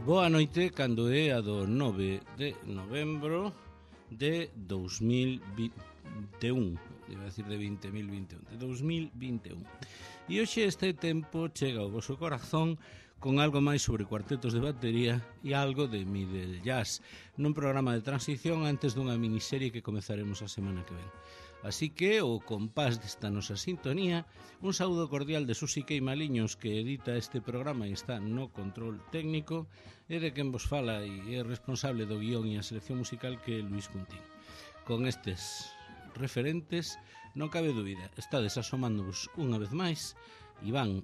Boa noite, cando é a do 9 de novembro de 2021, iba a decir de 2021, de 2021. E hoxe este tempo chega ao vosso corazón con algo máis sobre cuartetos de batería e algo de middle jazz, nun programa de transición antes dunha miniserie que comezaremos a semana que ven. Así que, o compás desta nosa sintonía, un saúdo cordial de Susi Queimaliños, que edita este programa e está no control técnico, e de quen vos fala e é responsable do guión e a selección musical, que é Luis Cuntín. Con estes referentes, non cabe dúbida, estades asomándovos unha vez máis e van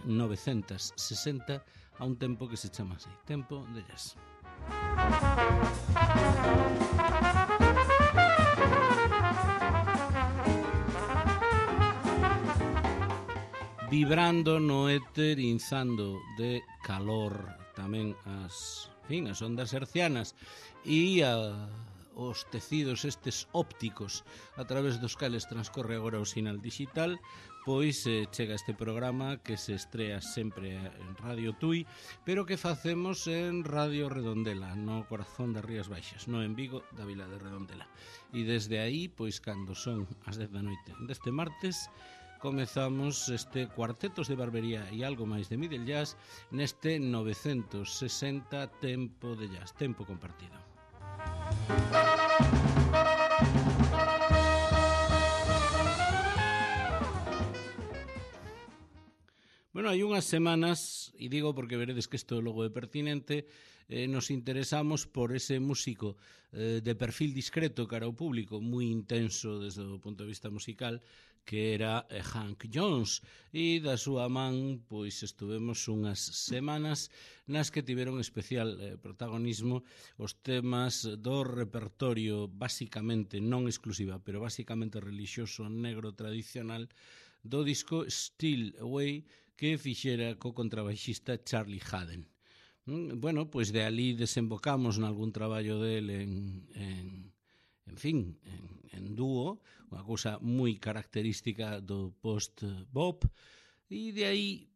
960 a un tempo que se chama así, tempo de jazz. Vibrando no éter, inzando de calor tamén as ondas hercianas e os tecidos estes ópticos a través dos cales transcorre agora o sinal digital, pois chega este programa que se estrea sempre en Radio Tui, pero que facemos en Radio Redondela, no corazón das Rías Baixas, no en Vigo, da vila de Redondela. E desde aí, pois cando son as 10 da noite deste martes, comezamos este Cuartetos de Barbería e algo máis de middle jazz neste 960 tempo de jazz, tempo compartido. Bueno, hai unhas semanas, e digo porque veredes que isto logo é pertinente, nos interesamos por ese músico de perfil discreto cara ao público, moi intenso desde o punto de vista musical, que era Hank Jones, e da súa man pois estuvemos unhas semanas nas que tiveron especial protagonismo os temas do repertorio basicamente, non exclusiva, pero basicamente relixioso negro tradicional do disco Steal Away, que fixera co contrabaixista Charlie Haden. Bueno, pois de ali desembocamos nalgún traballo del en dúo, unha cousa moi característica do post-bop, e de aí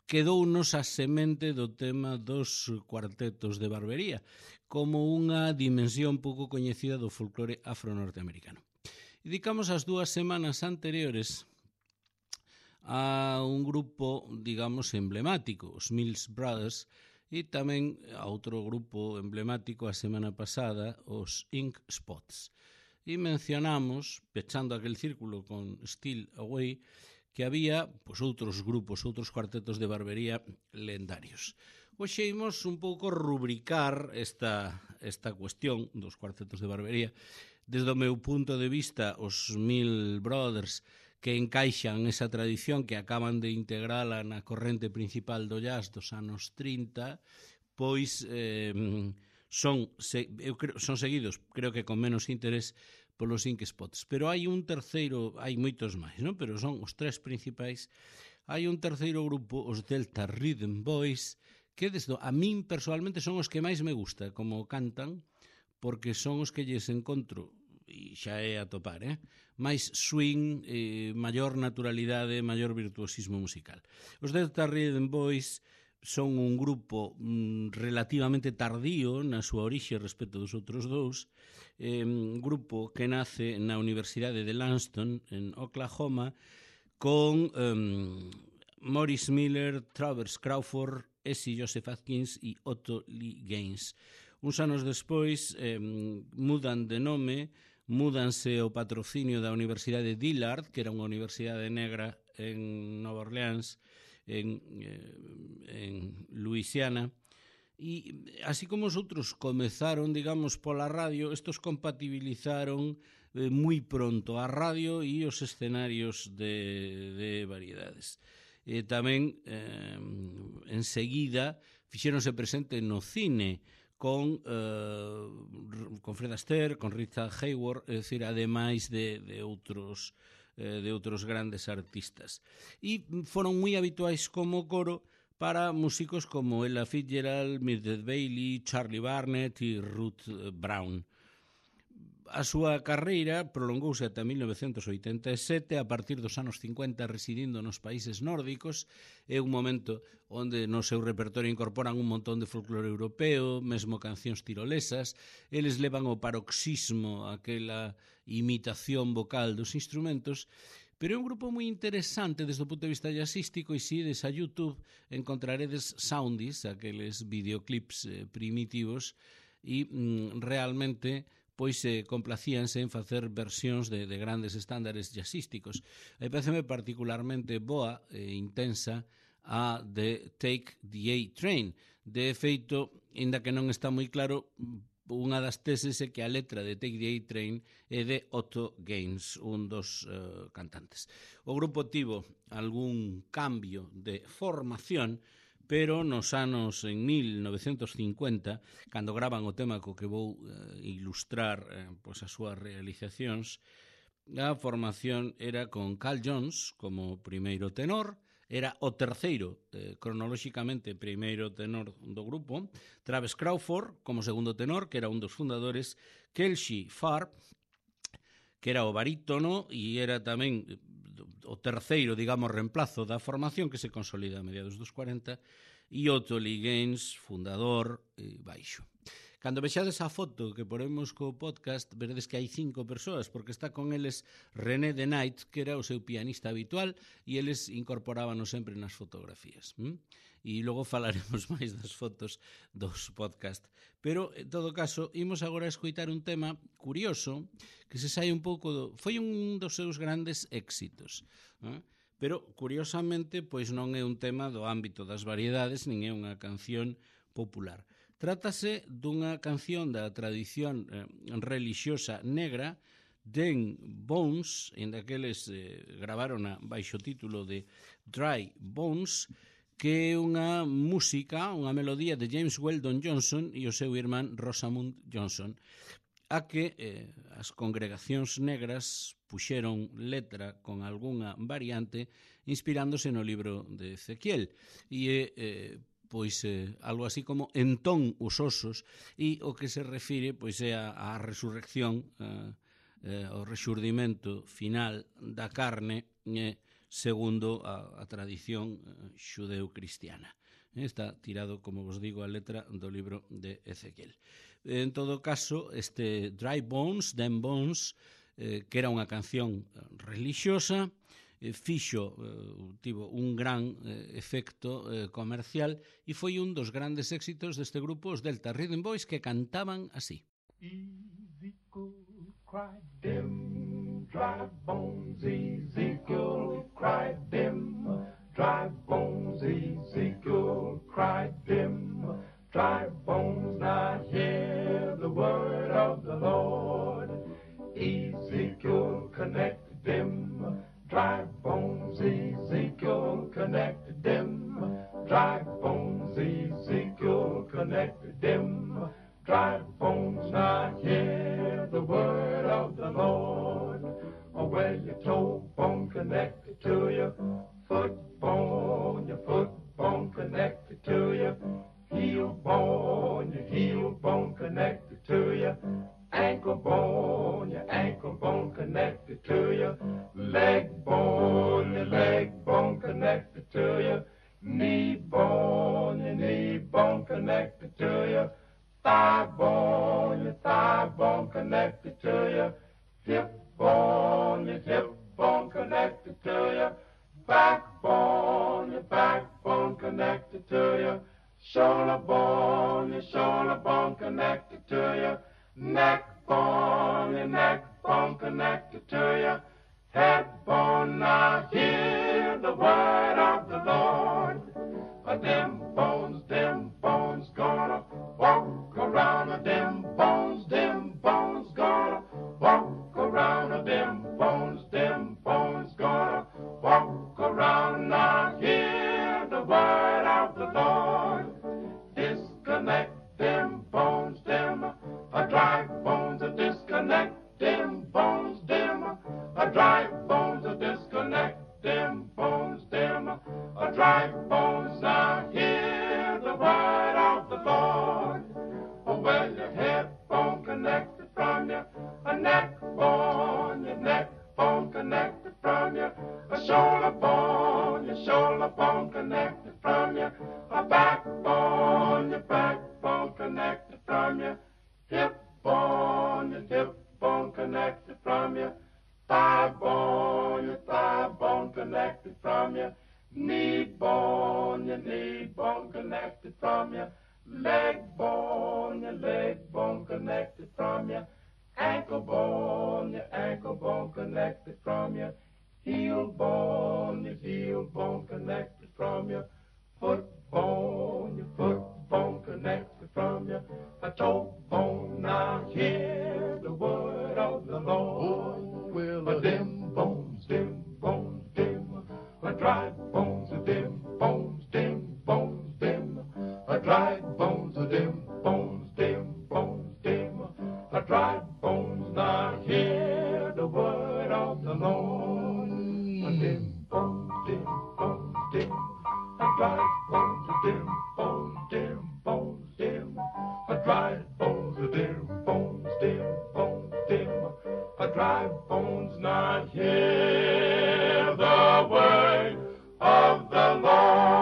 quedounos a semente do tema dos cuartetos de barbería, como unha dimensión pouco coñecida do folclore afro-norteamericano. E dedicamos as 2 semanas anteriores a un grupo, digamos, emblemático, os Mills Brothers, e tamén a outro grupo emblemático a semana pasada, os Ink Spots. E mencionamos, pechando aquel círculo con Steal Away, que había pois, outros grupos, outros cuartetos de barbería lendarios. Hoxe imos un pouco rubricar esta cuestión dos cuartetos de barbería. Desde o meu punto de vista, os Mills Brothers, que encaixan esa tradición, que acaban de integrala na corrente principal do jazz dos anos 30, pois son seguidos, creo que con menos interés, polos Ink Spots. Pero hai un terceiro, hai moitos máis, non? Pero son os 3 principais. Hai un terceiro grupo, os Delta Rhythm Boys, que a min personalmente son os que máis me gusta como cantan, porque son os que lles encontro, e xa é a topar, máis swing, maior naturalidade, maior virtuosismo musical. Os Delta Rhythm Boys son un grupo relativamente tardío na súa orixe respecto dos outros dous, un grupo que nace na Universidade de Langston, en Oklahoma, con Maurice Miller, Travers Crawford, S. Joseph Atkins e Otto Lee Gaines. Uns anos despois mudan de nome, múdanse o patrocinio da Universidade Dillard, que era unha universidade negra en Nova Orleans, en Louisiana, e así como os outros comezaron, digamos, pola radio, estos compatibilizaron moi pronto a radio e os escenarios de variedades. E tamén, enseguida, fixéronse presente no cine, con Fred Astaire, con Richard Hayward, é dicir, ademais de outros grandes artistas. E foron moi habituais como coro para músicos como Ella Fitzgerald, Mildred Bailey, Charlie Barnet e Ruth Brown. A súa carreira prolongouse ata 1987, a partir dos anos 50 residindo nos países nórdicos. É un momento onde no seu repertorio incorporan un montón de folclore europeo, mesmo cancións tirolesas. Eles levan ao paroxismo aquela imitación vocal dos instrumentos, pero é un grupo moi interesante desde o punto de vista jazzístico, e se ides a YouTube encontraredes soundies, aqueles videoclips primitivos, e realmente pois complacíanse en facer versións de grandes estándares jazzísticos. Aí pareceme particularmente boa e intensa a de Take the A-Train. De feito, ainda que non está moi claro, unha das teses é que a letra de Take the A-Train é de Otto Gaines, un dos cantantes. O grupo tivo algún cambio de formación, pero nos anos en 1950, cando graban o tema co que vou ilustrar pois as súas realizacións, a formación era con Carl Jones como primeiro tenor, era o terceiro, cronolóxicamente, primeiro tenor do grupo, Travis Crawford como segundo tenor, que era un dos fundadores, Kelsey Farb, que era o barítono e era tamén o terceiro, digamos, reemplazo da formación que se consolida a mediados dos 40, e Otto Lee Gaines, fundador e baixo. Cando vexades a foto que poremos co podcast, veredes que hai 5 persoas, porque está con eles René de Knight, que era o seu pianista habitual, e eles incorporábanos sempre nas fotografías. E logo falaremos máis das fotos dos podcast. Pero, en todo caso, imos agora a escoitar un tema curioso, que se sai un pouco foi un dos seus grandes éxitos. Pero, curiosamente, pois non é un tema do ámbito das variedades, nin é unha canción popular. Trátase dunha canción da tradición relixiosa negra, Den Bones, en daqueles gravaron baixo título de Dry Bones, que é unha música, unha melodía de James Weldon Johnson e o seu irmán Rosamund Johnson, a que as congregacións negras puxeron letra con algunha variante inspirándose no libro de Ezequiel, e pois algo así como entón os osos, e o que se refire pois é a resurrección, o rexurdimento final da carne, segundo a tradición xudeu-cristiana. Está tirado, como vos digo, a letra do libro de Ezequiel. En todo caso, este Dry Bones, Den Bones, que era unha canción relixiosa, tivo un gran efecto comercial e foi un dos grandes éxitos deste grupo, os Delta Rhythm Boys, que cantaban así. Ezekiel cried them dry bones, Ezekiel cried them dry bones, Ezekiel cried them dry bones. Now hear the word of the Lord. Ezekiel connected them dry bones, Ezekiel connected them dry bones, Ezekiel connected them dry bones. Now hear the word of the Lord. Oh, well, your toe bone connected to your foot bone connected to your heel bone connected to your ankle bone connected to your leg bone connected to your knee bone connected to your thigh bone connected to your hip bone connected to your backbone connected to your shoulder bone connected to your neck bone connected to your head bone. Now hear the word of the Lord. Them bones gonna walk around. Them bones gonna walk around. Them bones gonna walk around. Now hear the word of the Lord. Disconnect them bones, dry bones, disconnect them bones, dry bones, disconnect them bones, dry bones. Now hear the word of the Lord. Oh, well, your head bone connected from your leg bone connected from your ankle bone connected from your heel bone connected from your foot bone connected from your toe bone. Now hear the word of the Lord. Oh, well, dim bones, dim, dry bones, dim bones, dim, dry bones, dim bones, dim, dry bones. Now hear the word of the Lord. Dim bones, dim, dry bones, dim bones, dim, dry bones, dim bones, dry bones. Now hear the word of the Lord.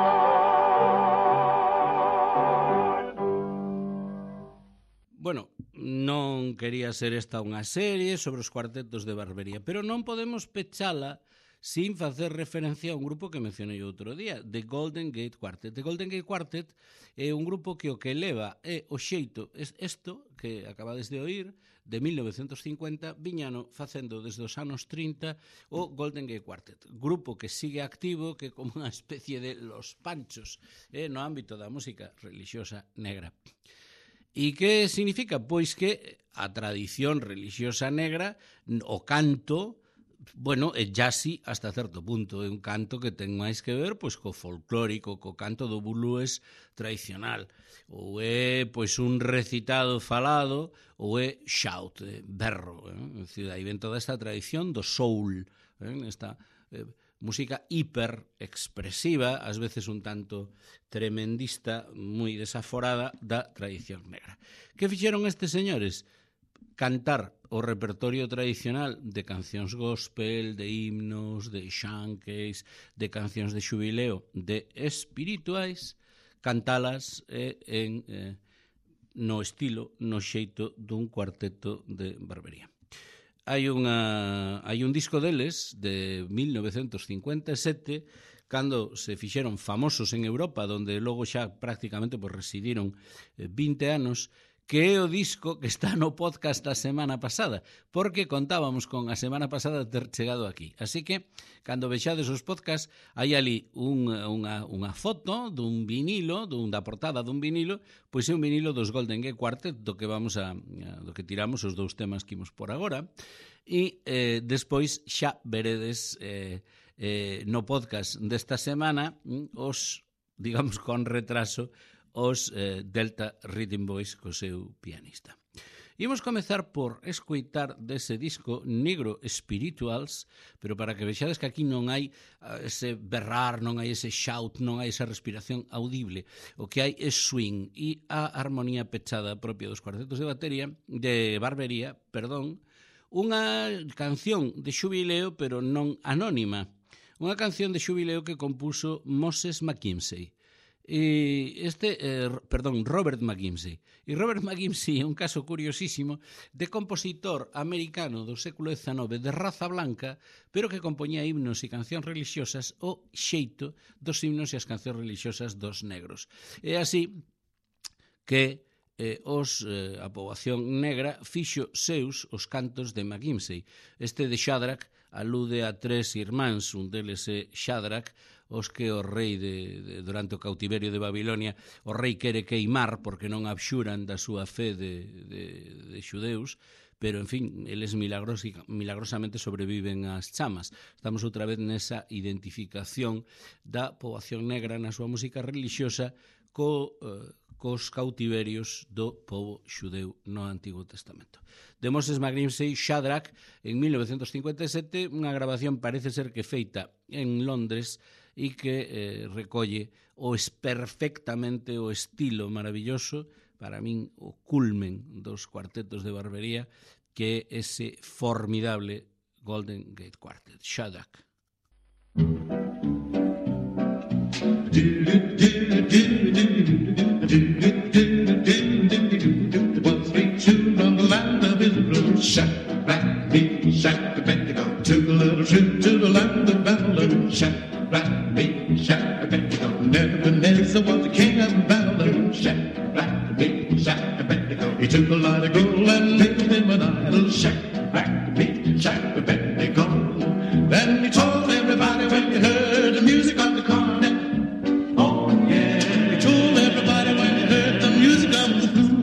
Bueno, non quería ser esta unha serie sobre os cuartetos de barbería, pero non podemos pechala sin facer referencia a un grupo que mencionei outro día, The Golden Gate Quartet. The Golden Gate Quartet é un grupo que o que leva é o xeito, isto que acabades de oír, de 1950, viñano facendo desde os anos 30 o Golden Gate Quartet. Grupo que sigue activo, que é como unha especie de Los Panchos no ámbito da música religiosa negra. E que significa? Pois que a tradición religiosa negra, o canto, bueno, é jazzy hasta certo punto, é un canto que ten máis que ver pois co folclórico, co canto do blues tradicional, ou é pois un recitado falado, ou é shout, berro, é dicir, aí ven toda esta tradición do soul, esta música hiperexpresiva, ás veces un tanto tremendista, moi desaforada da tradición negra. Que fixeron estes señores? Cantar o repertorio tradicional de cancións gospel, de himnos, de shankeys, de cancións de xubileo, de espirituais, cantalas no estilo, no xeito dun cuarteto de barbería. Hai un disco deles de 1957 cando se fixeron famosos en Europa, donde logo xa prácticamente residiron 20 anos, que é o disco que está no podcast da semana pasada, porque contábamos con a semana pasada ter chegado aquí. Así que, cando vexades os podcasts, hai ali unha foto dun vinilo, da portada dun vinilo, pois é un vinilo dos Golden Gate Quartet, do que tiramos os dous temas que imos por agora, e despois xa veredes no podcast desta semana os, digamos, con retraso, os Delta Rhythm Boys co seu pianista. Imos comezar por escoitar dese disco Negro Spirituals, pero para que vexades que aquí non hai ese berrar, non hai ese shout, non hai esa respiración audible. O que hai é swing e a armonía pechada propia dos cuartetos de barbería, unha canción de xubileo, pero non anónima. Unha canción de xubileo que compuso Moses McKimsey. Robert McKimsey. E Robert McKimsey é un caso curiosísimo de compositor americano do século XIX de raza blanca, pero que compoñía himnos e cancións religiosas o xeito dos himnos e as cancións religiosas dos negros. É así que a poboación negra fixo seus os cantos de McKimsey. Este de Shadrach alude a tres irmáns, un deles é Shadrach, os que o rei durante o cautiverio de Babilonia o rei quere queimar porque non abxuran da súa fe de xudeus, pero, en fin, eles milagrosamente sobreviven ás chamas. Estamos outra vez nesa identificación da poboación negra na súa música religiosa cos cautiverios do pobo xudeu no Antigo Testamento. De Moses McKimsey, Shadrach, en 1957, unha grabación parece ser que feita en Londres e que recolle perfectamente o estilo maravilloso, para min o culmen dos cuartetos de barbería, que é ese formidable Golden Gate Quartet, Shadrach. One street tune on the land of Israel. Shadrach, Meshach, Abednego took a little trip to the land of Babylon. Shadrach, Meshach, Abednego. Nebuchadnezzar was the king of Babylon. Shadrach, He took a lot of gold and made him an idol. Shack back beat, shack Abednego. Then he told everybody when he heard the music of the cornet. Oh yeah, he told everybody when he heard the music of the flute.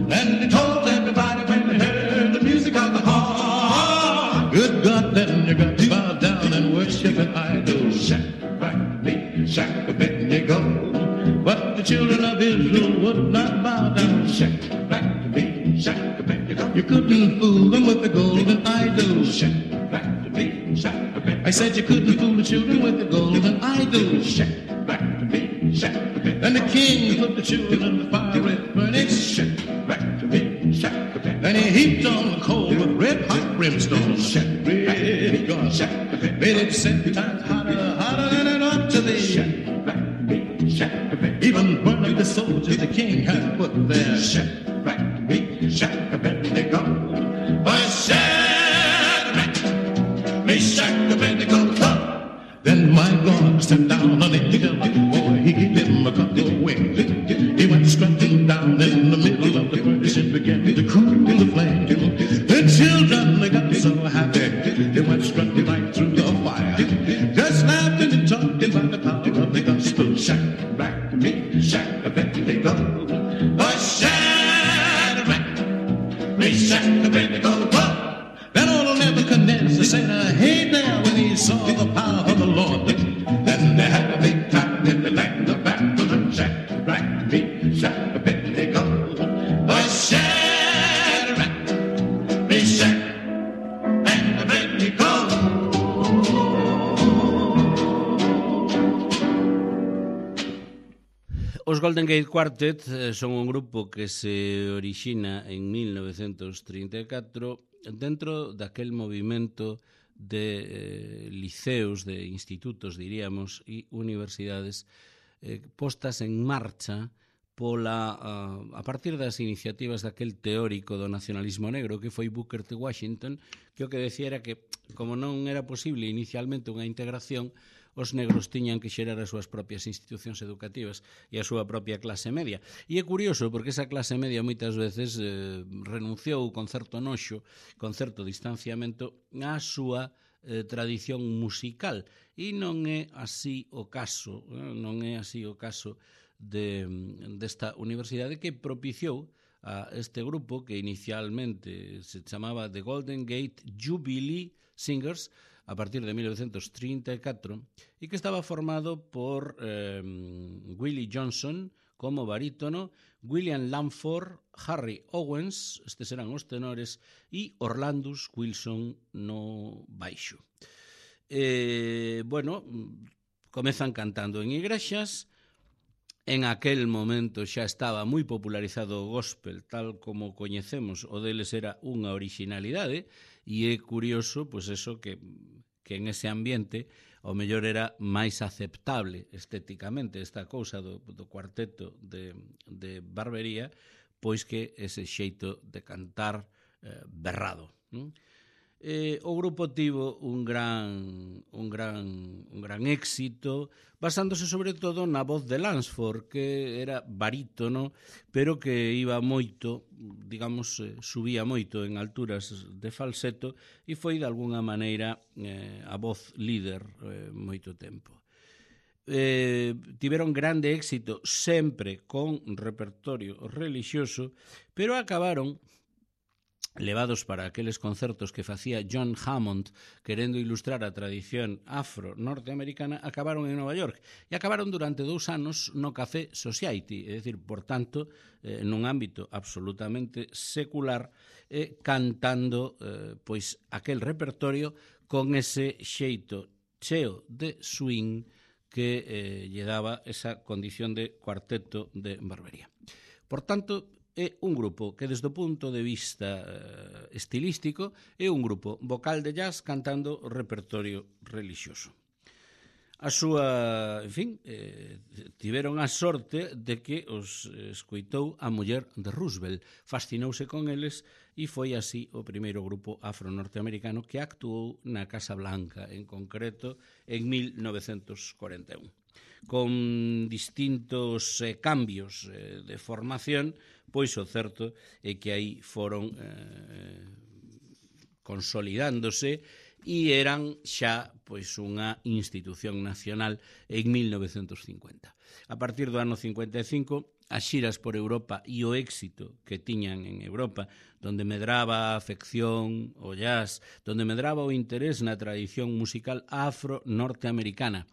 Then he told everybody when he heard the music of the horn. Good God, then you got to bow down and worship an idol. Shack back beat, shack Abednego. But the children of Israel would not bow down. Shack back beat, shack Abednego. You couldn't fool them with the golden idol. Shack back beat, shack Abednego. I said you couldn't fool the children with the golden idol. Shack back beat, shack Abednego. Then the king put the children in the fiery furnace. Shack back beat, shack Abednego. Then he heaped on the coal with red hot brimstone. Shack red God, shack Abednego. Made it 7 times hotter, hotter than it ought to be. Shack back beat, shack Abednego. Even burned up the soldiers the king had put there. Shack back beat, shack Abednego. But Shadrach, Meshach, Abednego. Then my God stepped down on the hill. Boy, he gave him a couple of wings. He went strutting down in the middle of the furnace and began to cool the flame. The children, they got so happy. They went strutting right through the fire, just laughing and talking about the power of the gospel. Shack back to me, shack Abednego. But Shadrach, Meshach, Abednego. Then old Nebuchadnezzar said, hey there, when he saw the power of the Lord. Then they had a big time in the land of Babylon. Shadrach, Meshach, Abednego. But Shadrach, Meshach, and Abednego. Os Golden Gate Quartet son un grupo que se orixina en 1934 dentro daquel movimento de liceos, de institutos, diríamos, e universidades postas en marcha a partir das iniciativas daquel teórico do nacionalismo negro que foi Booker T. Washington, que o que decía era que, como non era posible inicialmente unha integración, os negros tiñan que xerar as súas propias institucións educativas e a súa propia clase media. E é curioso porque esa clase media moitas veces renunciou con certo noxo, con certo distanciamento á súa tradición musical. E non é así o caso, desta universidade que propiciou a este grupo que inicialmente se chamaba The Golden Gate Jubilee Singers a partir de 1934 e que estaba formado por Willie Johnson como barítono, William Lamford, Harry Owens, estes eran os tenores, e Orlandus Wilson no baixo. Comezan cantando en igrexas. En aquel momento xa estaba moi popularizado o gospel, tal como coñecemos, o deles era unha originalidade, e é curioso, pois eso, que en ese ambiente o mellor era máis aceptable estéticamente esta cousa do cuarteto de Barbería, pois que ese xeito de cantar berrado. O grupo tivo un gran éxito, basándose sobre todo na voz de Lansford, que era barítono, pero que iba moito, digamos, subía moito en alturas de falseto e foi de alguna maneira a voz líder moito tempo. Tiveron grande éxito sempre con repertorio relixioso, pero acabaron levados para aqueles concertos que facía John Hammond querendo ilustrar a tradición afro-norteamericana, acabaron en Nova York e acabaron durante 2 anos no Café Society, é dicir, por tanto, nun ámbito absolutamente secular, cantando pois aquel repertorio con ese xeito cheo de swing que lle daba esa condición de cuarteto de Barbería. Por tanto, é un grupo que desde o punto de vista estilístico é un grupo vocal de jazz cantando repertorio relixioso. A súa, en fin, tiveron a sorte de que os escoitou a muller de Roosevelt, fascinouse con eles e foi así o primeiro grupo afro-norteamericano que actuou na Casa Blanca, en concreto en 1941. Con distintos cambios de formación, pois o certo é que aí foron consolidándose e eran xa pois unha institución nacional en 1950. A partir do ano 55, as xiras por Europa e o éxito que tiñan en Europa, donde medraba a afección ao jazz, donde medraba o interés na tradición musical afro-norteamericana,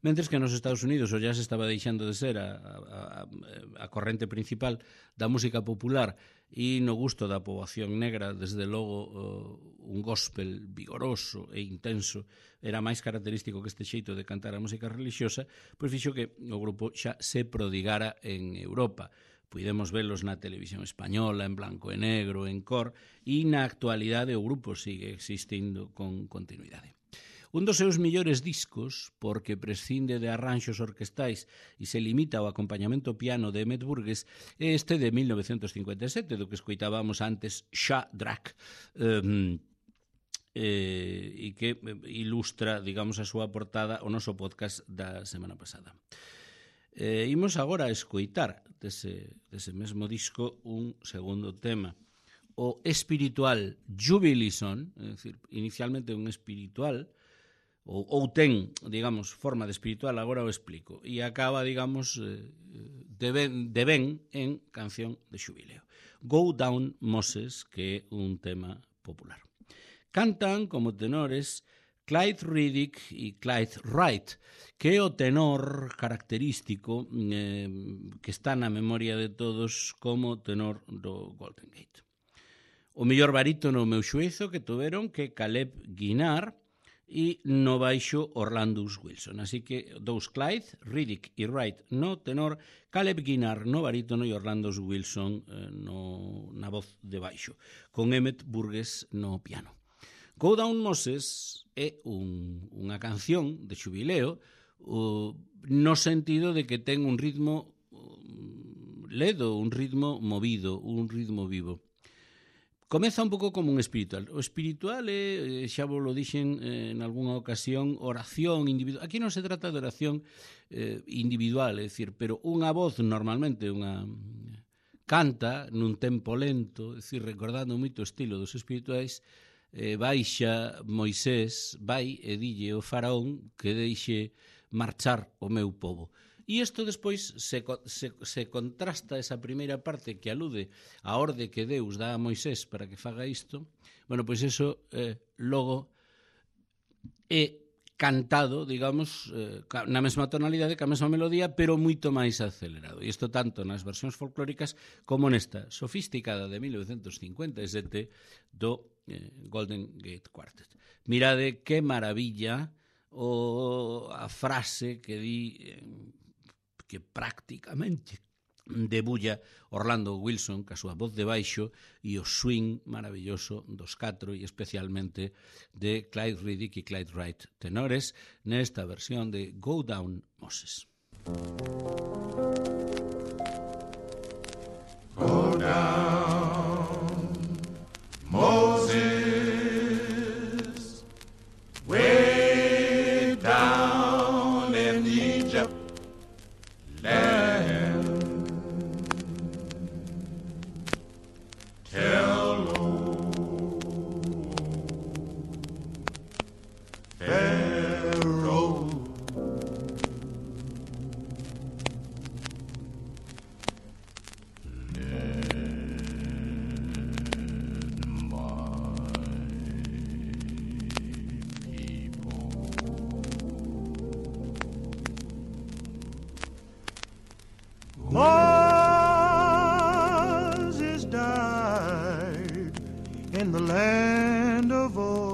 mentres que nos Estados Unidos o jazz estaba deixando de ser a corrente principal da música popular e no gusto da poboación negra, desde logo, un gospel vigoroso e intenso era máis característico que este xeito de cantar a música religiosa, pois fixo que o grupo xa se prodigara en Europa. Puidemos velos na televisión española, en blanco e negro, en cor, e na actualidade o grupo sigue existindo con continuidade. Un dos seus millores discos, porque prescinde de arranxos orquestais e se limita ao acompañamento piano de Emmett Burgess, é este de 1957, do que escoitábamos antes, Shadrach, e que ilustra, digamos, a súa portada o noso podcast da semana pasada. Imos agora a escoitar dese mesmo disco un segundo tema, o espiritual Jubilee Song, é dicir, inicialmente un espiritual, ou ten, digamos, forma de espiritual, agora o explico, e acaba, digamos, de ben en canción de xubileo. Go Down Moses, que é un tema popular. Cantan como tenores Clyde Riddick e Clyde Wright, que é o tenor característico que está na memoria de todos como tenor do Golden Gate. O mellor barítono, o meu xuízo, que tuveron que Caleb Guinar, e no baixo Orlandus Wilson. Así que dous Clyde, Riddick e Wright no tenor, Caleb Guinar no barítono e Orlandus Wilson na voz de baixo, con Emmett Burgess no piano. Go Down Moses é unha canción de xubileo no sentido de que ten un ritmo ledo, un ritmo movido, un ritmo vivo. Comeza un pouco como un espiritual. O espiritual é, xa vos lo dixen en algunha ocasión, oración individual. Aquí non se trata de oración individual, é dicir, pero unha voz normalmente canta nun tempo lento, é dicir, recordando moito o estilo dos espirituais, baixa Moisés, vai e dille o faraón que deixe marchar o meu povo. E isto despois se contrasta esa primeira parte que alude á orde que Deus dá a Moisés para que faga isto. Bueno, pois eso logo é cantado, digamos, na mesma tonalidade, ca mesma melodía, pero moito máis acelerado. E isto tanto nas versións folclóricas como nesta sofisticada de 1957 do Golden Gate Quartet. Mirade que maravilla a frase que di que prácticamente debulla Orlando Wilson ca súa voz de baixo e o swing maravilloso dos catro e especialmente de Clyde Riddick e Clyde Wright tenores nesta versión de Go Down Moses. Go down, Moses, way down in Egypt land. Tell Pharaoh Moses died in the land of old.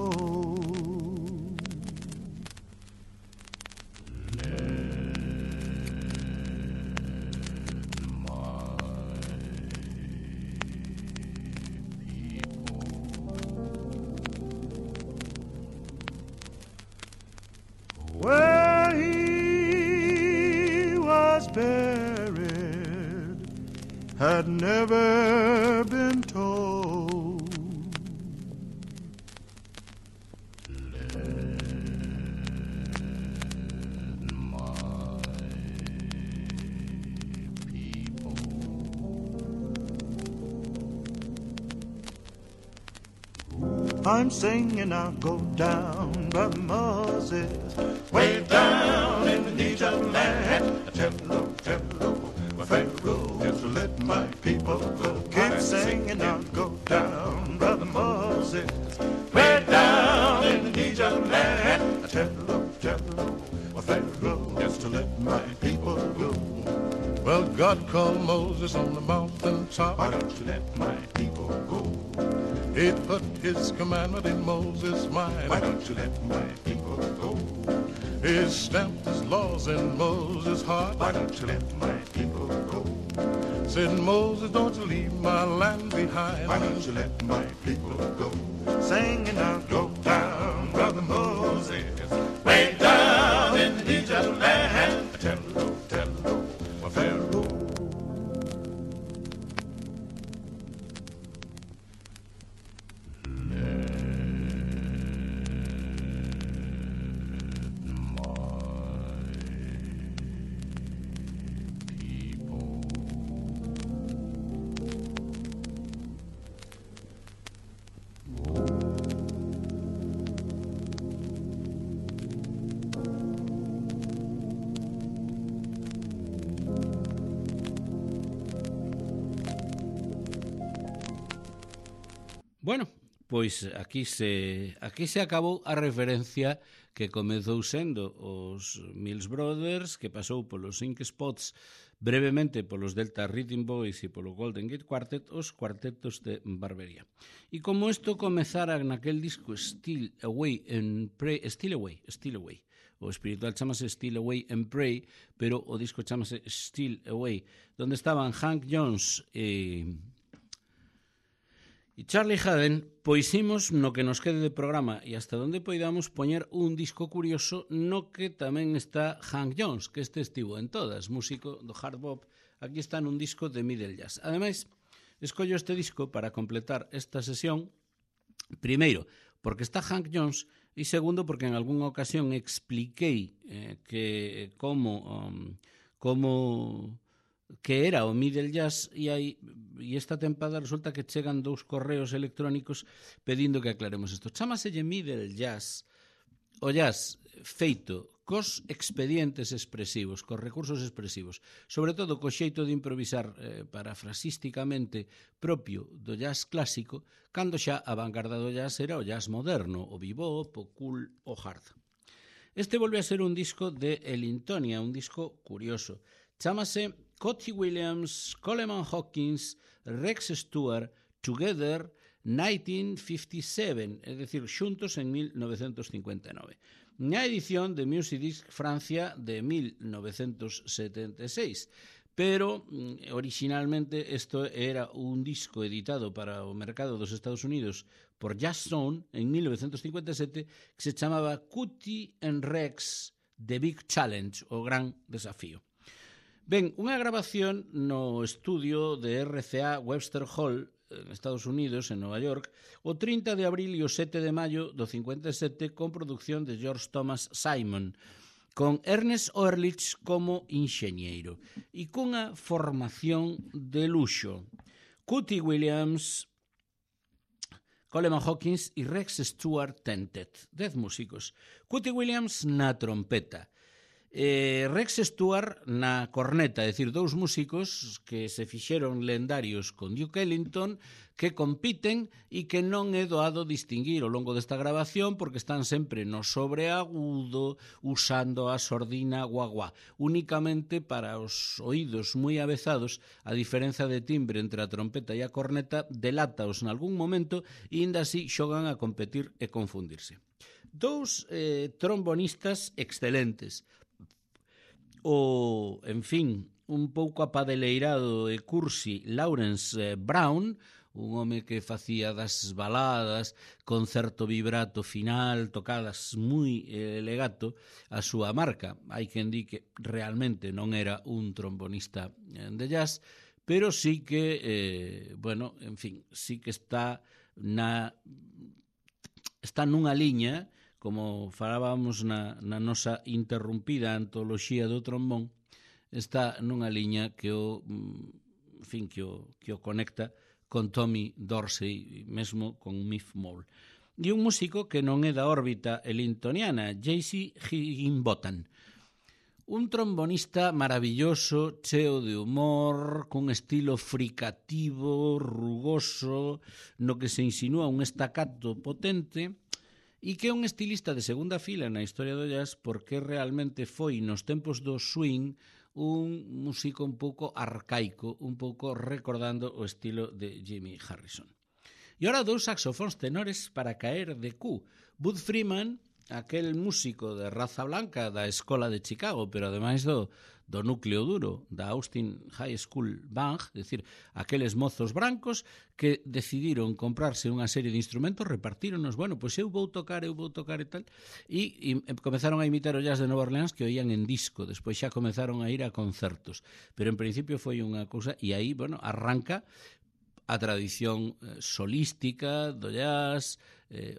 Where he had never been told. I'm singing, I'll go down, Brother Moses, way down in the Niger land. Tell my Pharaoh, just to let my people go. Keep singing, I'll go down, Brother Moses, way down in the Niger land. Tell my Pharaoh, just to let my people go. Well, God called Moses on the mountain top. Why don't you let my people go? He put his commandment in Moses' mind. Why don't you let my people go? He stamped his laws in Moses' heart. Why don't you let my people go? Said Moses, don't you leave my land behind. Why don't you let my people go? Singing out, go down, Brother Moses, way down in the Egypt land. Tell my Pharaoh. Bueno, pois aquí se acabou a referencia que comezou sendo os Mills Brothers, que pasou polos Ink Spots, brevemente polos Delta Rhythm Boys e polo Golden Gate Quartet, os cuartetos de Barbería. E como isto comezara naquel disco Steal Away and Pray, Steal Away, o espiritual chamase Steal Away and Pray, pero o disco chamase Steal Away, donde estaban Hank Jones e Charlie Haden, pois imos no que nos quede de programa e hasta onde poidamos poñer un disco curioso no que tamén está Hank Jones, que este estivo en todas, músico do hard bop, aquí está nun disco de middle jazz. Ademais, escollo este disco para completar esta sesión, primeiro, porque está Hank Jones, e segundo, porque en algunha ocasión expliquei que que era o middle jazz e esta tempada resulta que chegan 2 correos electrónicos pedindo que aclaremos isto. Chámaselle middle jazz o jazz feito cos expedientes expresivos, cos recursos expresivos, sobre todo co xeito de improvisar parafrasísticamente propio do jazz clásico, cando xa a vanguarda do jazz era o jazz moderno, o bebop, o cool, o hard. Este volve a ser un disco de Ellingtonia, un disco curioso. Chámase Cotty Williams, Coleman Hawkins, Rex Stewart, Together 1957, es decir, xuntos en 1959. Na edición de Music Disc Francia de 1976, pero originalmente isto era un disco editado para o mercado dos Estados Unidos por Jazz Zone en 1957 que se chamaba Cutty and Rex The Big Challenge, o gran desafío. Ben, unha grabación no estudio de RCA Webster Hall, en Estados Unidos, en Nova York, o 30 de abril e o 7 de maio do 57, con produción de George Thomas Simon, con Ernest Ehrlich como enxeñeiro, e cunha formación de luxo. Cutty Williams, Coleman Hawkins e Rex Stewart Tentet, 10 músicos. Cutty Williams na trompeta, Rex Stewart na corneta, é dicir, 2 músicos que se fixeron lendarios con Duke Ellington, que compiten e que non é doado distinguir ao longo desta grabación porque están sempre no sobreagudo usando a sordina guaguá, únicamente para os oídos moi avezados. A diferenza de timbre entre a trompeta e a corneta delátaos nalgún momento e ainda así xogan a competir e confundirse. 2 trombonistas excelentes, en fin, un pouco apadeleirado e cursi Lawrence Brown, un home que facía das baladas con certo vibrato final, tocadas moi legato, a súa marca. Hai quen di que realmente non era un trombonista de jazz, pero sí que, bueno, en fin, sí que está nunha liña, como falábamos na nosa interrumpida antoloxía do trombón, está nunha liña que o, en fin, que o conecta con Tommy Dorsey, mesmo con Miff Mole. E un músico que non é da órbita ellingtoniana, J.C. Higginbotham. Un trombonista maravilloso, cheo de humor, cun estilo fricativo, rugoso, no que se insinúa un estacato potente, e que é un estilista de segunda fila na historia do jazz porque realmente foi nos tempos do swing un músico un pouco arcaico, un pouco recordando o estilo de Jimmy Harrison. E ora dous saxofóns tenores para caer de cu. Bud Freeman, aquel músico de raza blanca da Escola de Chicago, pero ademais do núcleo duro da Austin High School Band, é dicir, aqueles mozos brancos que decidiron comprarse unha serie de instrumentos, repartíronos, bueno, pois eu vou tocar e tal, e comezaron a imitar o jazz de Nova Orleans que oían en disco, despois xa comezaron a ir a concertos, pero en principio foi unha cousa, e aí, bueno, arranca a tradición solística do jazz,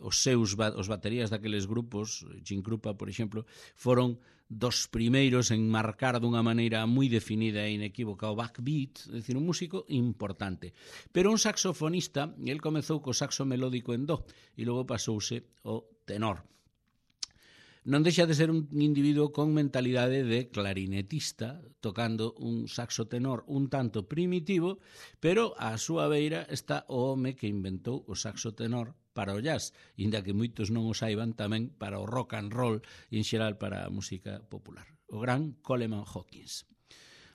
os baterías daqueles grupos, Jim Krupa, por exemplo, foron dos primeiros en marcar dunha maneira moi definida e inequívoca o backbeat, é dicir, un músico importante. Pero un saxofonista, el comezou co saxo melódico en do e logo pasouse ao tenor. Non deixa de ser un individuo con mentalidade de clarinetista, tocando un saxo tenor un tanto primitivo, pero á súa beira está o home que inventou o saxo tenor para o jazz, inda que moitos non o saiban tamén para o rock and roll e en xeral para a música popular, o gran Coleman Hawkins.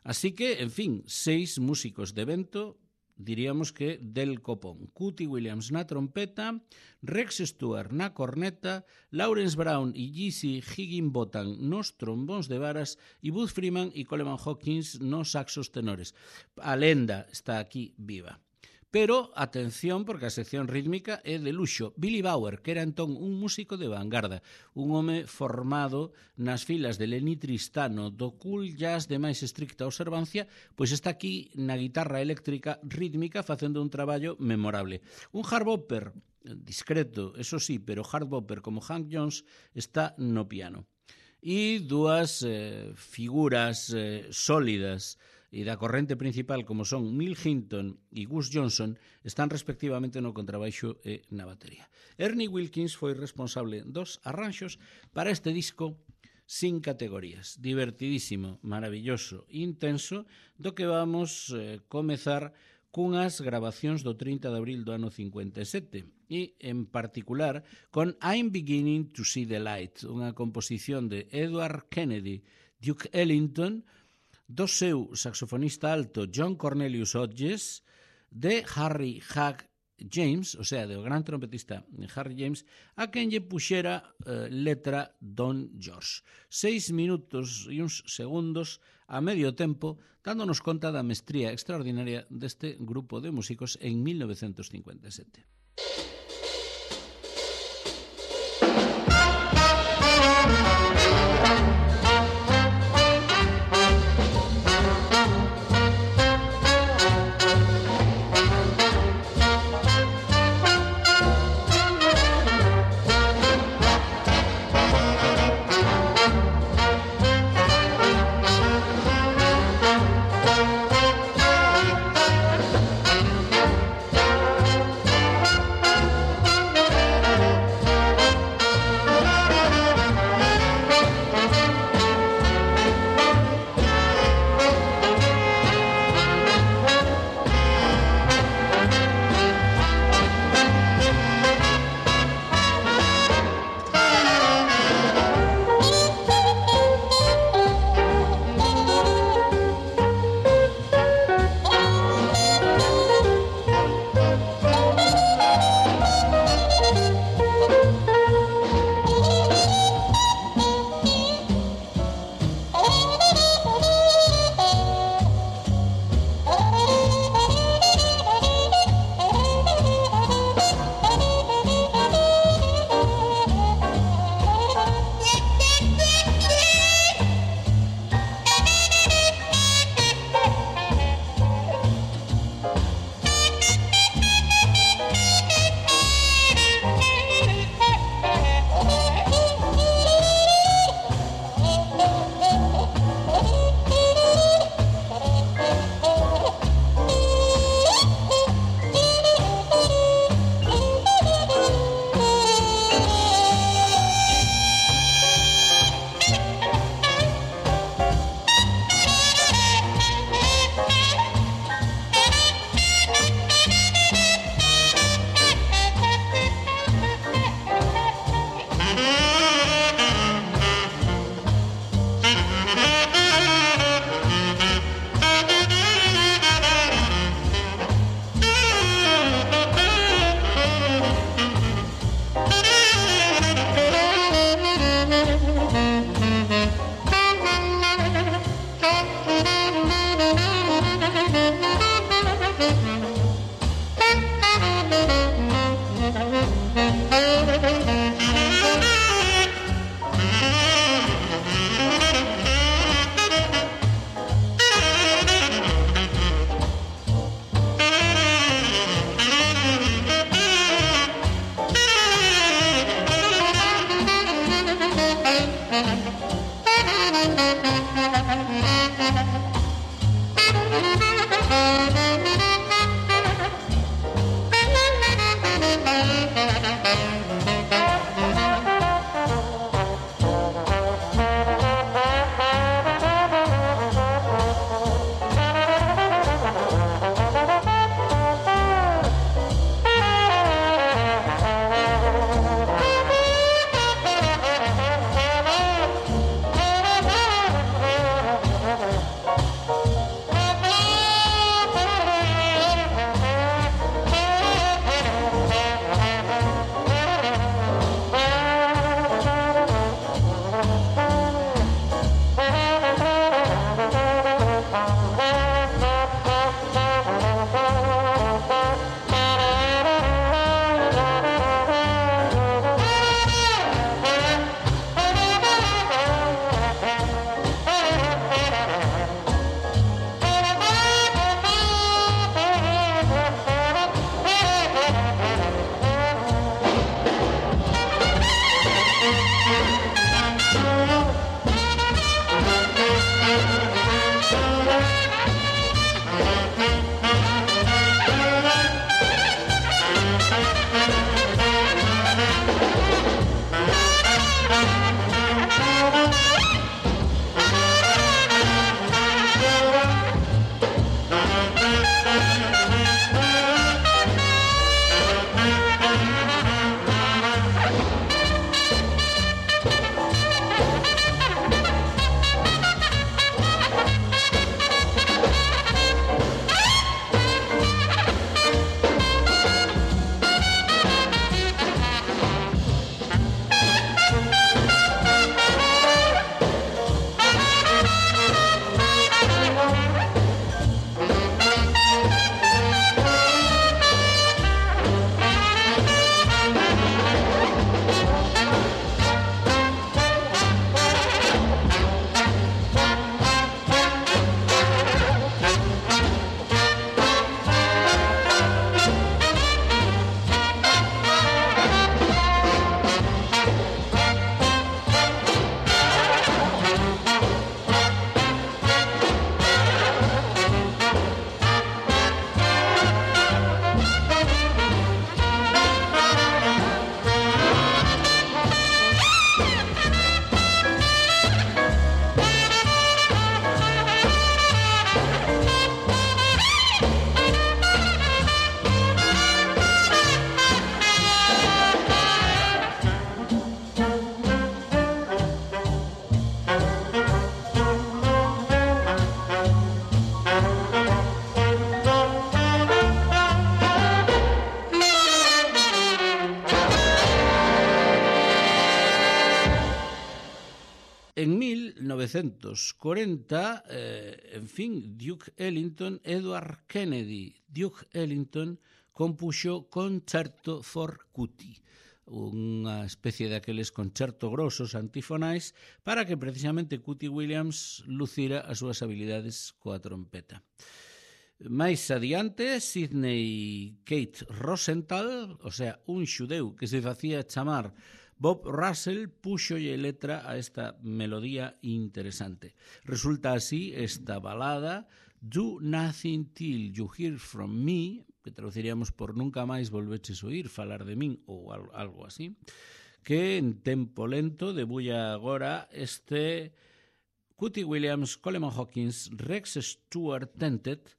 Así que, en fin, 6 músicos de vento, diríamos que del copón. Cootie Williams na trompeta, Rex Stewart na corneta, Lawrence Brown e J.C. Higginbotham nos trombóns de varas e Bud Freeman e Coleman Hawkins nos saxos tenores. A lenda está aquí viva. Pero, atención, porque a sección rítmica é de luxo. Billy Bauer, que era entón un músico de vanguarda, un home formado nas filas de Lenny Tristano, do cool jazz de máis estricta observancia, pois está aquí na guitarra eléctrica rítmica facendo un traballo memorable. Un hard bopper discreto, eso sí, pero hard bopper como Hank Jones está no piano. E dúas figuras sólidas e da corrente principal como son Milt Hinton e Gus Johnson están respectivamente no contrabaixo e na batería. Ernie Wilkins foi responsable dos arranxos para este disco sin categorías, divertidísimo, maravilloso, intenso, do que vamos comezar cunhas grabacións do 30 de abril do ano 57 e, en particular, con I'm Beginning to See the Light, unha composición de Edward Kennedy, Duke Ellington, do seu saxofonista alto John Cornelius Hodges, de Harry Hug James, o sea, do gran trompetista Harry James, a quen lle puxera letra Don George. 6 minutos e uns segundos a medio tempo, dándonos conta da mestría extraordinaria deste grupo de músicos en 1957. 1940, en fin, Duke Ellington, Edward Kennedy, Duke Ellington, compuxo Concerto for Cutie, unha especie daqueles concerto grosos antifonais para que precisamente Cutie Williams lucira as súas habilidades coa trompeta. Mais adiante, Sidney Kate Rosenthal, o sea, un xudeu que se facía chamar Bob Russell, puxolle letra a esta melodía interesante. Resulta así esta balada Do Nothing Till You Hear From Me, que traduciríamos por Nunca máis volveches oír falar de min ou algo así, que en tempo lento debulla agora este Cutie Williams, Coleman Hawkins, Rex Stewart Tentet,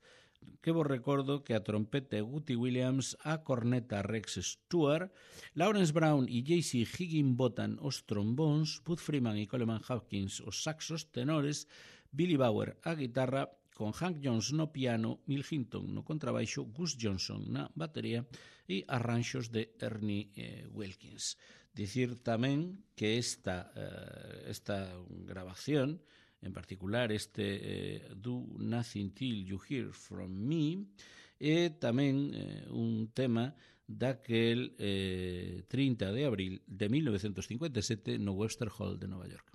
que vos recordo que a trompeta é Cutie Williams, a corneta Rex Stewart, Lawrence Brown e J.C. Higginbotham os trombóns, Bud Freeman e Coleman Hawkins os saxos tenores, Billy Bauer a guitarra, con Hank Jones no piano, Bill Hinton no contrabaixo, Gus Johnson na batería e arranxos de Ernie Wilkins. Dicir tamén que esta grabación, en particular este Do Nothing Till You Hear From Me, é tamén un tema daquel 30 de abril de 1957 no Webster Hall de Nova York.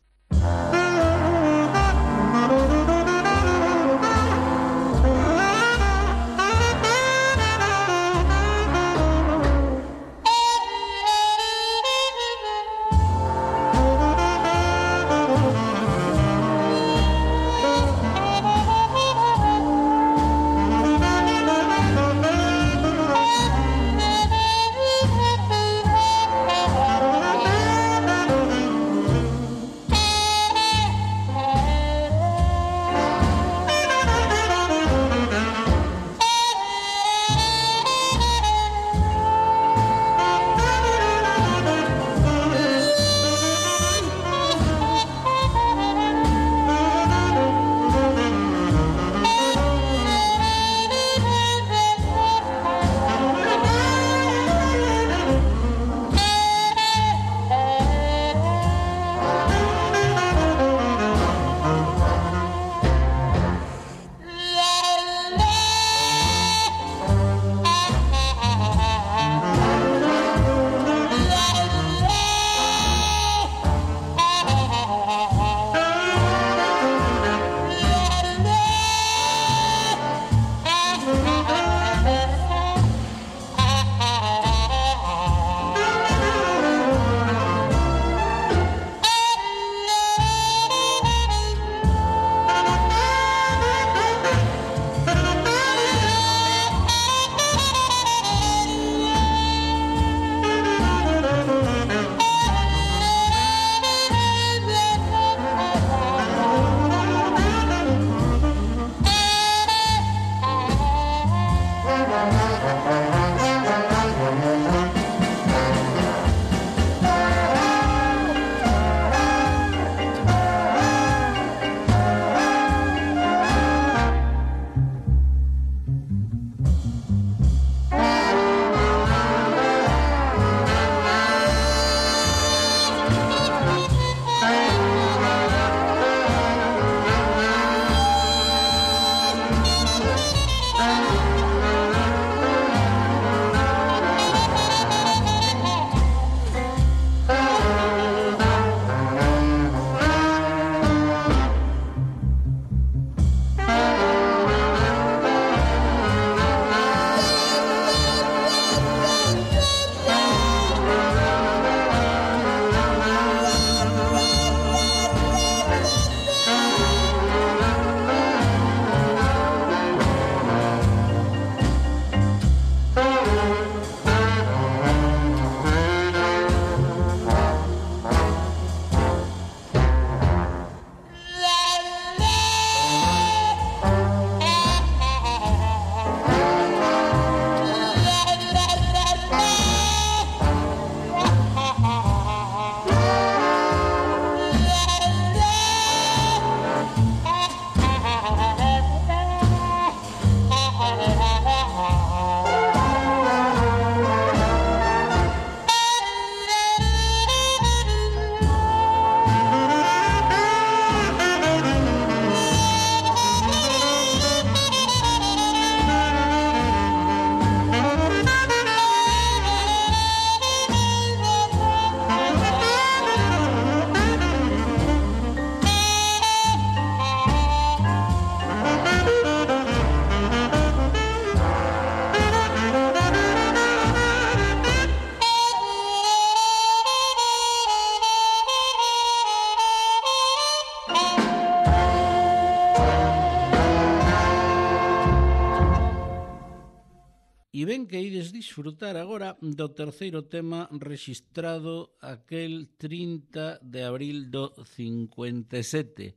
E ben que ides disfrutar agora do terceiro tema rexistrado aquel 30 de abril do 57.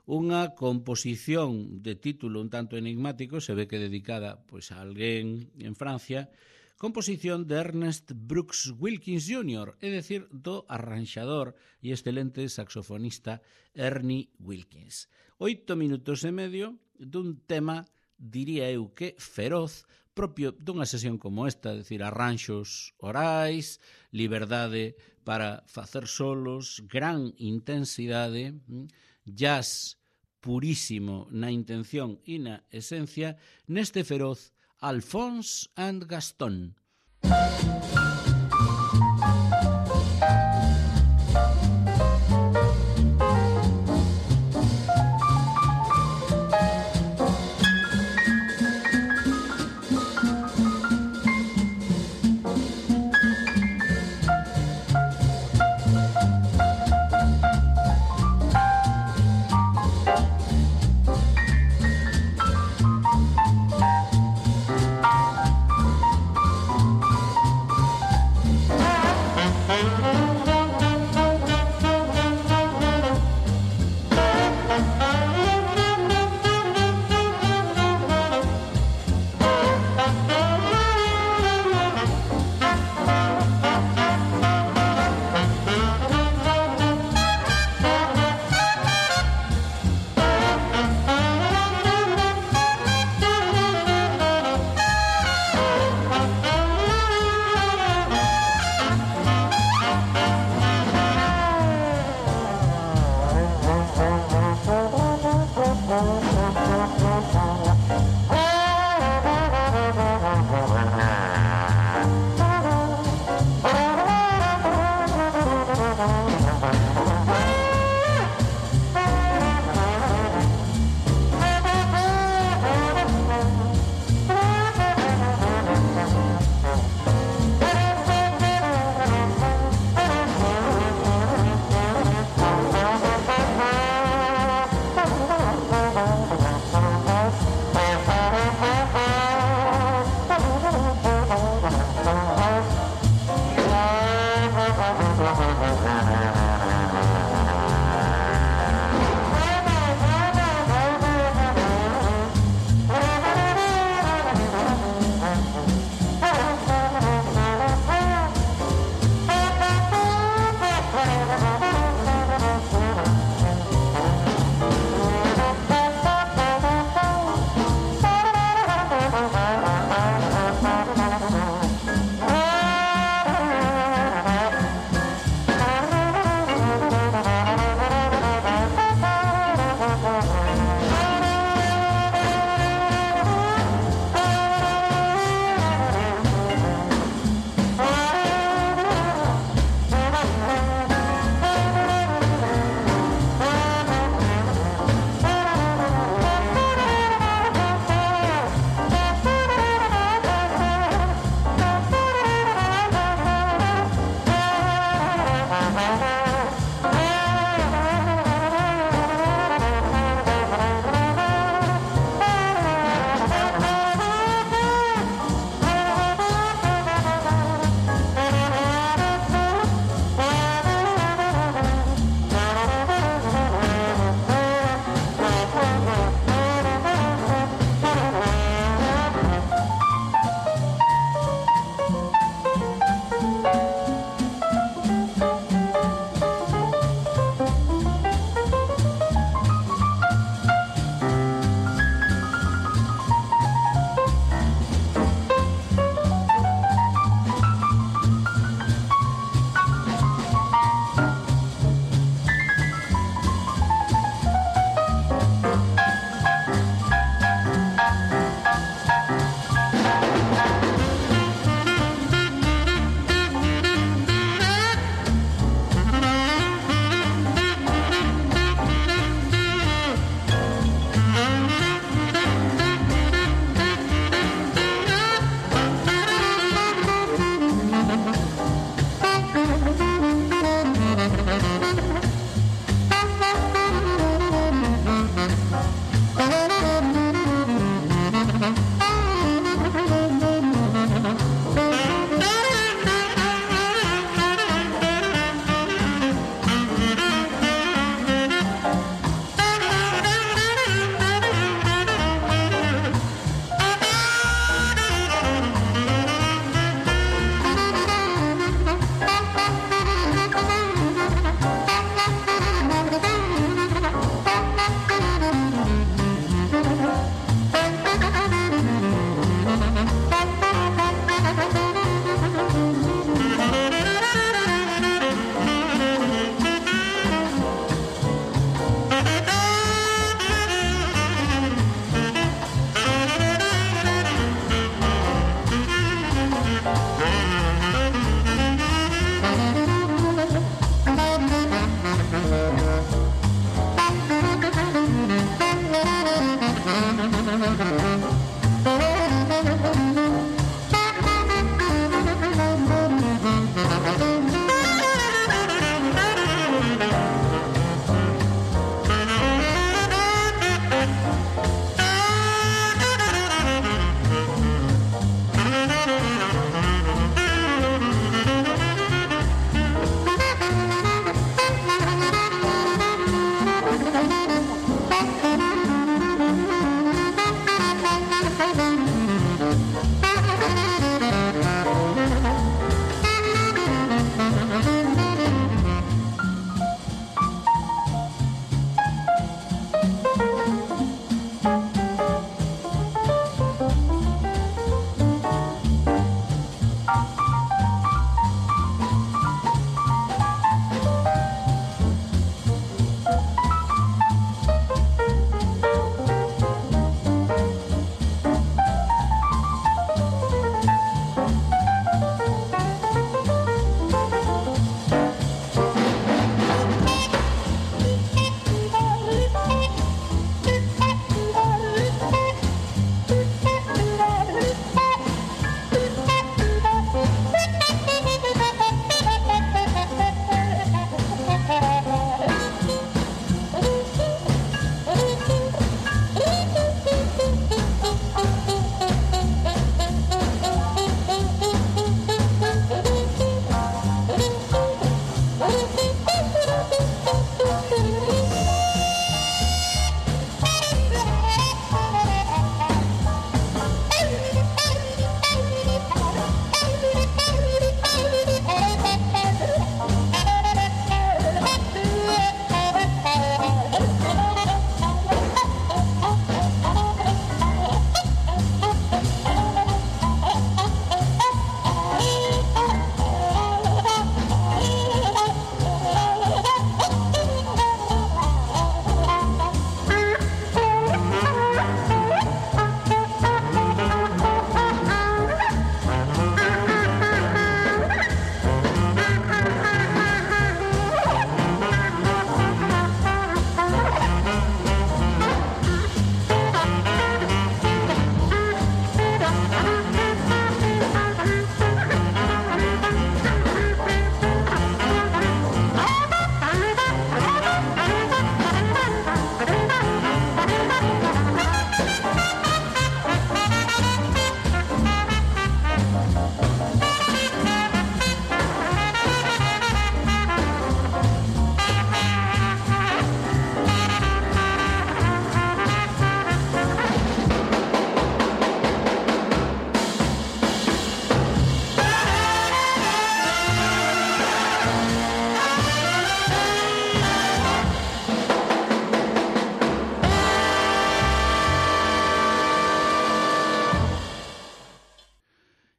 Unha composición de título un tanto enigmático, se ve que dedicada pois, a alguén en Francia, composición de Ernest Brooks Wilkins Jr., é dicir, do arranxador e excelente saxofonista Ernie Wilkins. 8 minutos e medio dun tema, diría eu que feroz, propio dunha sesión como esta, é dicir, arranxos orais, liberdade para facer solos, gran intensidade, jazz purísimo na intención e na esencia, neste feroz Alphonse and Gaston.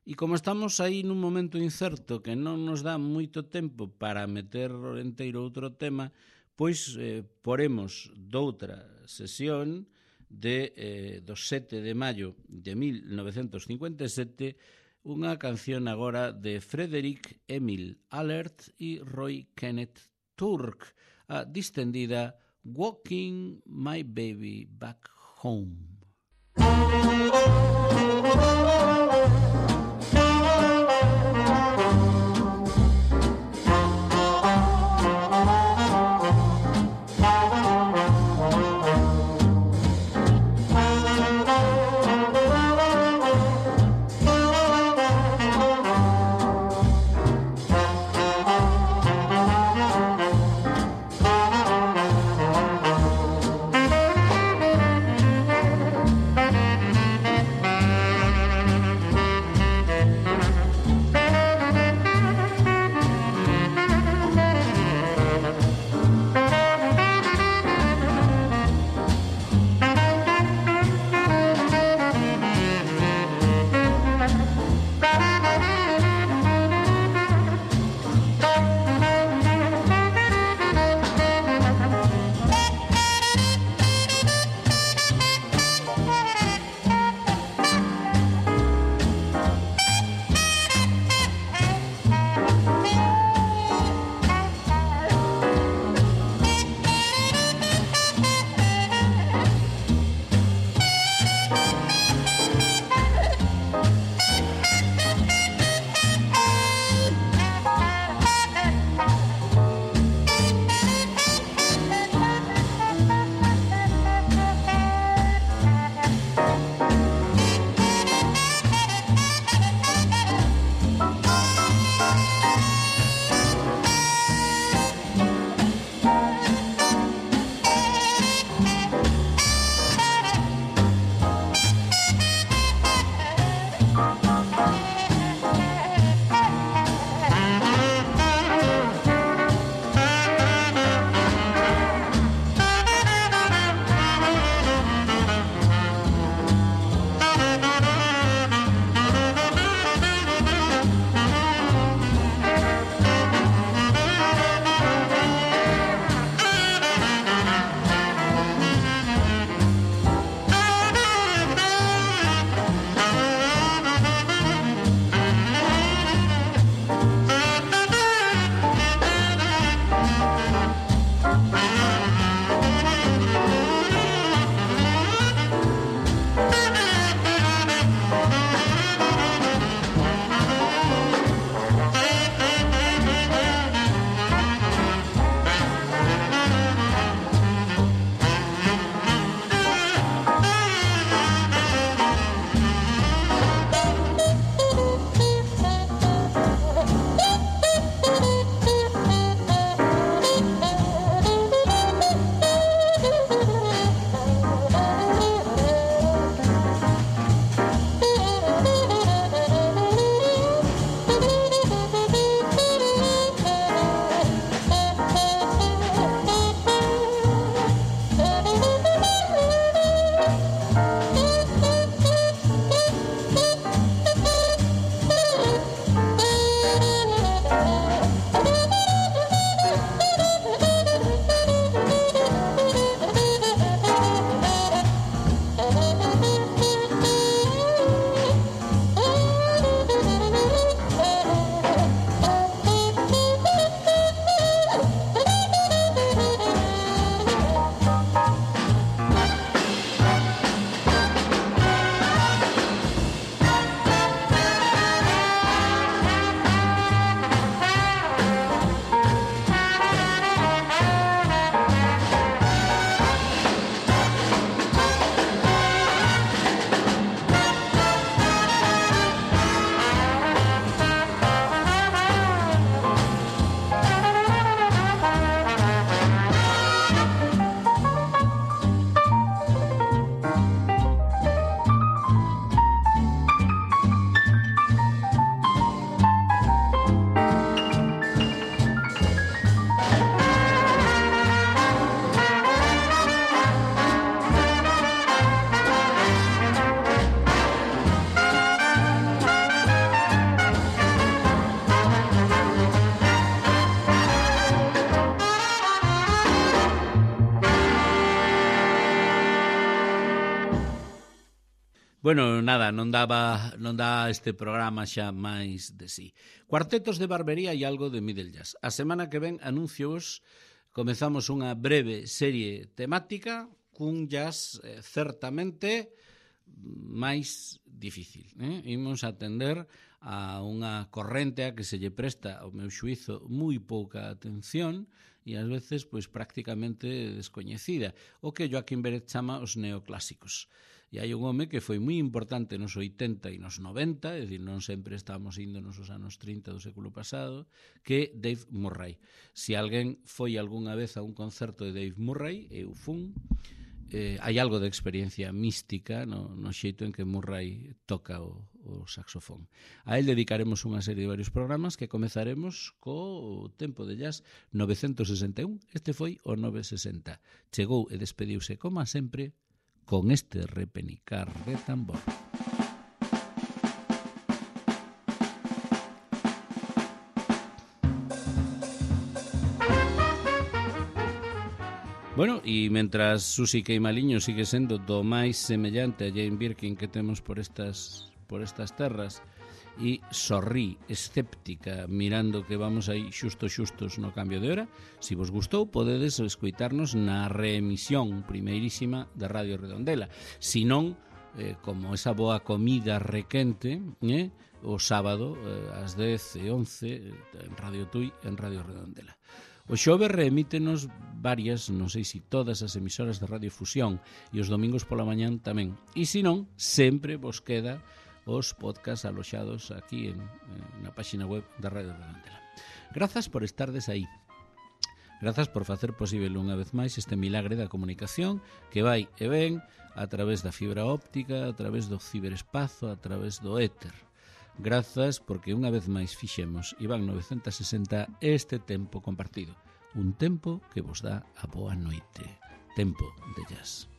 E como estamos aí nun momento incerto que non nos dá moito tempo para meter enteiro outro tema, pois poremos doutra sesión do 7 de maio de 1957 unha canción agora de Frederick Emil Allert e Roy Kenneth Turk, a distendida Walking My Baby Back Home. Bueno, nada, non dá este programa xa máis de sí. Cuartetos de Barbería e algo de Middle Jazz. A semana que ven, anuncios, comezamos unha breve serie temática cun jazz certamente máis difícil. Imos atender a unha corrente a que se lle presta, ao meu xuízo, moi pouca atención e ás veces pois prácticamente descoñecida, o que Joaquín Pérez chama os neoclásicos. E hai un home que foi moi importante nos 80 e nos 90, é dicir, non sempre estamos indo nos anos 30 do século pasado, que Dave Murray. Se alguén foi algunha vez a un concerto de Dave Murray, eu fun, hai algo de experiencia mística no xeito en que Murray toca o saxofón. A él dedicaremos unha serie de varios programas que comezaremos co Tempo de Jazz 961. Este foi o 960. Chegou e despediuse, como sempre, con este repenicar de tambor. Bueno, e mentras Susi Queimaliño sigue sendo do máis semellante a Jane Birkin que temos por estas terras e sorrí escéptica mirando que vamos aí xustos no cambio de hora, se vos gustou podedes escoitarnos na reemisión primeirísima de Radio Redondela, si non como esa boa comida requente o sábado ás 10 e 11 en Radio Tui en Radio Redondela. O xove reemítenos varias, non sei se todas as emisoras de Radio Fusión e os domingos pola mañán tamén. E se non, sempre vos queda os podcasts aloxados aquí na página web da Radio Redondela. Grazas por estardes aí. Grazas por facer posible unha vez máis este milagre da comunicación que vai e ven a través da fibra óptica, a través do ciberespazo, a través do éter. Grazas porque unha vez máis fixemos Iván 960 este tempo compartido. Un tempo que vos dá a boa noite. Tempo de jazz.